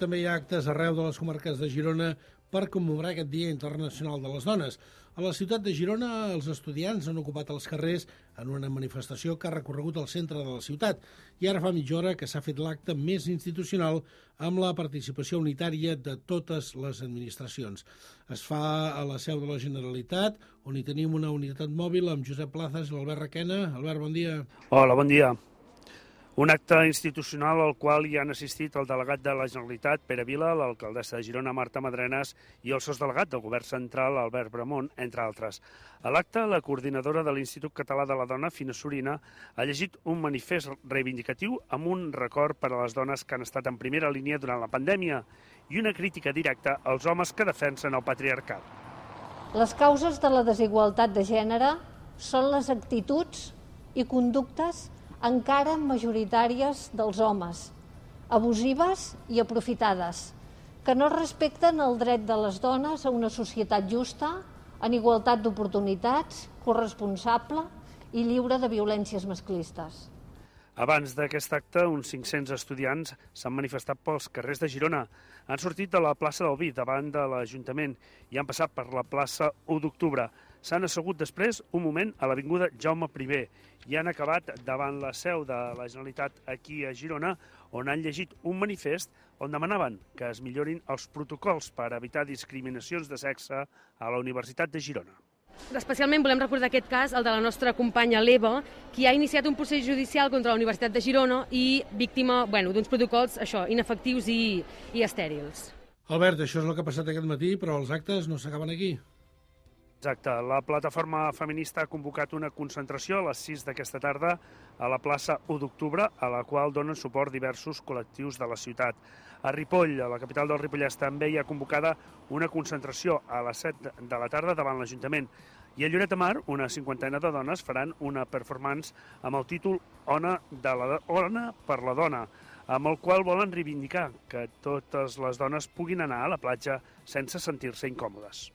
També hi ha actes arreu de les comarques de Girona per commemorar aquest Dia Internacional de les Dones. A la ciutat de Girona, els estudiants han ocupat els carrers en una manifestació que ha recorregut el centre de la ciutat. I ara fa mitja hora que s'ha fet l'acte més institucional amb la participació unitària de totes les administracions. Es fa a la seu de la Generalitat, on hi tenim una unitat mòbil amb Josep Plazas i l'Albert Requena. Albert, bon dia. Hola, bon dia. Un acte institucional al qual hi han assistit el delegat de la Generalitat, Pere Vila, l'alcaldessa de Girona, Marta Madrenas, i el sosdelegat del Govern Central, Albert Bramont, entre altres. A l'acte, la coordinadora de l'Institut Català de la Dona, Fina Sorina, ha llegit un manifest reivindicatiu amb un record per a les dones que han estat en primera línia durant la pandèmia i una crítica directa als homes que defensen el patriarcat. Les causes de la desigualtat de gènere són les actituds i conductes encara majoritàries dels homes, abusives i aprofitades, que no respecten el dret de les dones a una societat justa, en igualtat d'oportunitats, corresponsable i lliure de violències masclistes. Abans d'aquest acte, uns 500 estudiants s'han manifestat pels carrers de Girona. Han sortit de la plaça del Vi, davant de l'Ajuntament, i han passat per la plaça 1 d'octubre. S'han assegut després un moment a l'avinguda Jaume I i han acabat davant la seu de la Generalitat aquí a Girona, on han llegit un manifest on demanaven que es millorin els protocols per evitar discriminacions de sexe a la Universitat de Girona. Especialment volem recordar aquest cas, el de la nostra companya l'Eva, qui ha iniciat un procés judicial contra la Universitat de Girona i víctima d'uns protocols inefectius i estèrils. Albert, això és el que ha passat aquest matí, però els actes no s'acaben aquí. Exacte. La plataforma feminista ha convocat una concentració a les 6 d'aquesta tarda a la plaça 1 d'octubre, a la qual donen suport diversos col·lectius de la ciutat. A Ripoll, a la capital del Ripollès, també hi ha convocada una concentració a les 7 de la tarda davant l'Ajuntament. I a Lloret de Mar, una cinquantena de dones faran una performance amb el títol Ona per la dona, amb el qual volen reivindicar que totes les dones puguin anar a la platja sense sentir-se incòmodes.